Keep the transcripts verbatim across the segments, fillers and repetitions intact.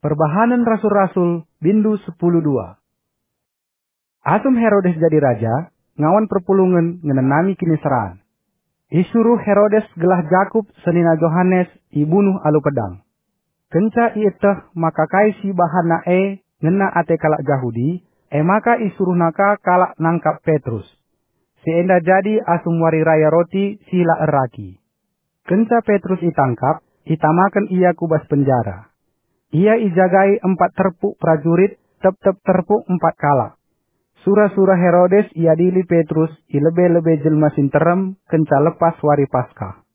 Perbahanen Rasul-Rasul, bindu sepuluh dua. Asum Herodes jadi raja, ngawan perpulungen ngenanami kiniseran. Isuruh Herodes gelah Jakup senina Johanes ibunuh alu pedang. Kenca ieteh maka kai si ibahanna e ngena ate kalak Jahudi, e maka isuruhna ka kalak nangkap Petrus. Si enda jadi asum wari raya roti si la erragi. Kenca Petrus itangkap, itamaken ia ku bas penjara. Ia ijagai empat terpuk perajurit, tep-tep terpuk empat kalak. Sura-sura Herodes iadili Petrus i lebe-lebe jelma si nterem kenca lepas wari Paskah.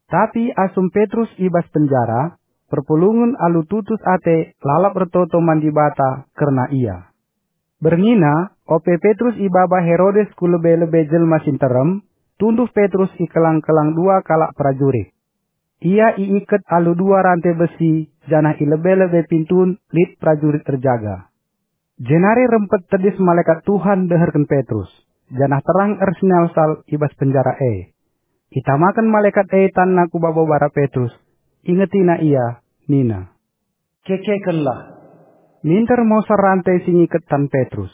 Tapi asum Petrus i bas penjara, perpulungen alu tutus ate lalap ertoto man Dibata kerna ia. Berngina, ope Petrus ibaba Herodes ku lebe-lebe jelma si nterem, tunduh Petrus i kelang-kelang dua kalak perajurit. Ia iiket alu dua rante besi, janah i lebe-lebe pintun lit perajurit erjaga. Jenari rempet tedis malekat Tuhan ndeherken Petrus, janah terang ersinalsal i bas penjara e. Itamaken malekat e tanna ku babo bara Petrus, ingetina ia, nina, "Kekekenlah!" Minter mosar rante si ngiket tan Petrus.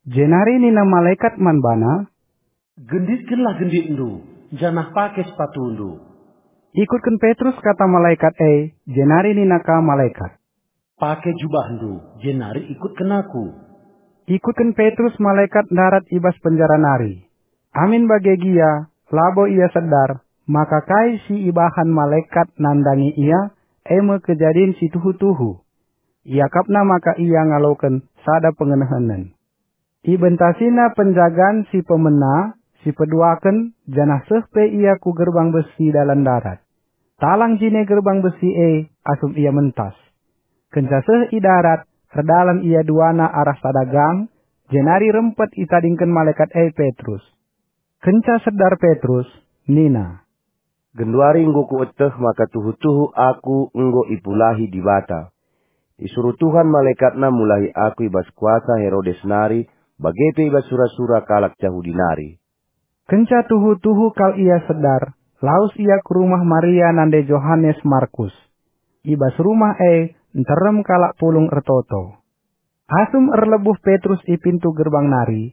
Jenari nina malekat man bana, "Genditkenlah genditndu, janah pake sepatundu." Ikutken Petrus kata malekat e, jenari nina ka malekat, "Pake jubahndu, jenari ikutken aku." Ikutken Petrus malekat ndarat i bas penjara nari. Amin bage gia, labo ia sedar, maka kai si ibahan malekat nandangi ia, e me kejadin si tuhu-tuhu. Iakapna maka ia ngaloken sada pengenehenen. Ibentasina penjagan si pemena, si peduaken, janah seh pe ia ku gerbang besi dalan darat. Talang jine gerbang besi e asum ia mentas. Kenca seh i darat, erdalan ia duana arah sada gang, jenari rempet itadingken malekat e Petrus. Kenca sedar Petrus, nina, "Genduari enggo kueteh maka tuhu-tuhu aku enggo ipulahi Dibata. Isuruh Tuhan malekatNa mulahi aku i bas kuasa Herodes nari, bage pe i bas sura-sura kalak Jahudi nari." Kenca tuhu-tuhu kal ia sedar, lawes ia ku rumah Maria nande Johanes Markus. I bas rumah e nterem kalak pulung ertoto. Asum erlebuh Petrus i pintu gerbang nari,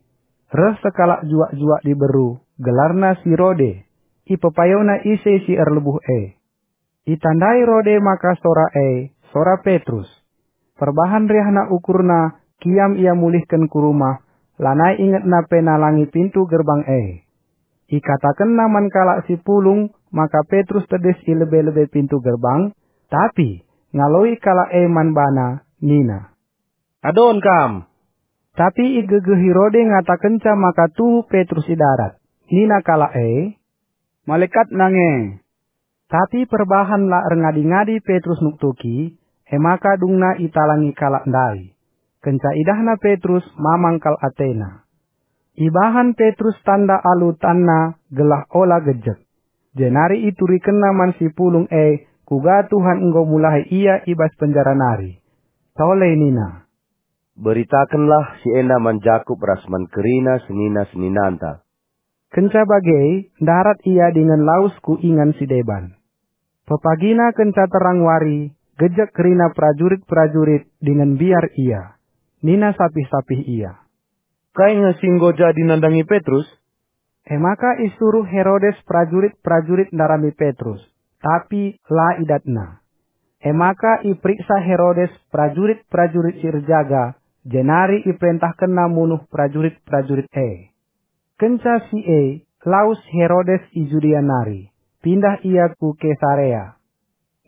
reh sekalak juak-juak diberu, gelarna si Rode. Ipepayona ise si erlebuh e. Itandai Rode maka sora e, sora Petrus. Perbahan riahna ukurna, kiam ia mulihken ku rumah, lanai ingetna pe nalangi pintu gerbang e. Ikatakenna man kalak si pulung maka Petrus tedis i lebe-lebe pintu gerbang, tapi ngaloi kalak e man bana, nina, "Adon kam!" Tapi igegehi Rode ngatakenca maka tuhu Petrus i darat. Nina kalak e, "Malekat nange." Tapi perbahan la erngadi-ngadi Petrus nuktuki, e maka dungna italangi kalak ndai. Kenca idahna Petrus, mamang kal atena. Ibahan Petrus tanda alu tanna gelah ola gejek. Jenari iturikenna man si pulung e, kuga Tuhan enggo mulahi ia i bas penjara nari. Tole nina, "Beritakenlah si enda man Jakup ras man kerina senina-seninanta." Kenca bage, ndarat ia dingen lawes ku ingan si deban. Pepagina kenca terang wari, gejek kerina perajurit-perajurit dingen mbiar ia. Nina sapih-sapih ia, "Kai nge si enggo jadi nandangi Petrus?" E maka isuruh Herodes perajurit-perajurit ndarami Petrus, tapi la idatna. E maka iperiksa Herodes perajurit-perajurit si erjaga, jenari iperentahkenna munuh perajurit-perajurit e. Kenca si e, lawes Herodes i Judea nari, pindah ia ku Kesarea.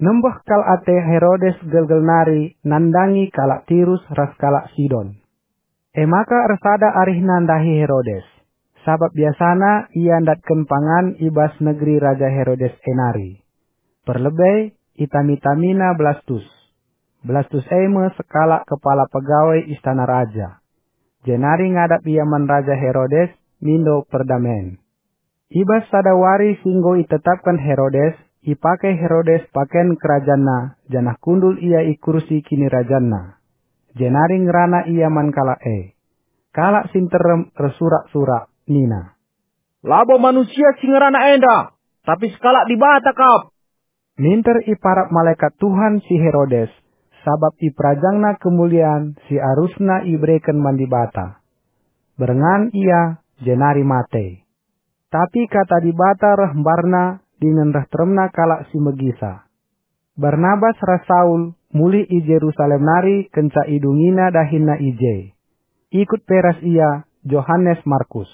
Nembeh kal ate Herodes gelgel nari nandangi kalak Tirus ras kalak Sidon. E maka ersada arihna ndahi Herodes, sabap biasana ia ndatken pangan i bas negeri Raja Herodes e nari. Perlebe itami-tamina Blastus. Blastus e me sekalak kepala pegawai istana raja. Jenari ngadap ia man Raja Herodes mindo perdamen. I bas sada wari si enggo itetapken Herodes, ipake Herodes paken kerajanna, janah kundul ia i kursi kinirajanna. Jenari ngerana ia man kalak e. Kalak si nterem ersurak-surak nina, "Labo manusia si ngerana enda, tapi sekalak Dibata kap." Minter iparap malekat Tuhan si Herodes, sabap iperajangna kemulian si arusna ibereken man Dibata. Berngan ia, jenari mate. Tapi kata Dibata reh mbarna dingen reh teremna kalak si megisa. Barnabas ras Saul mulih i Jerusalem nari kenca idungina dahinna i je. Ikut pe ras ia Johanes Markus.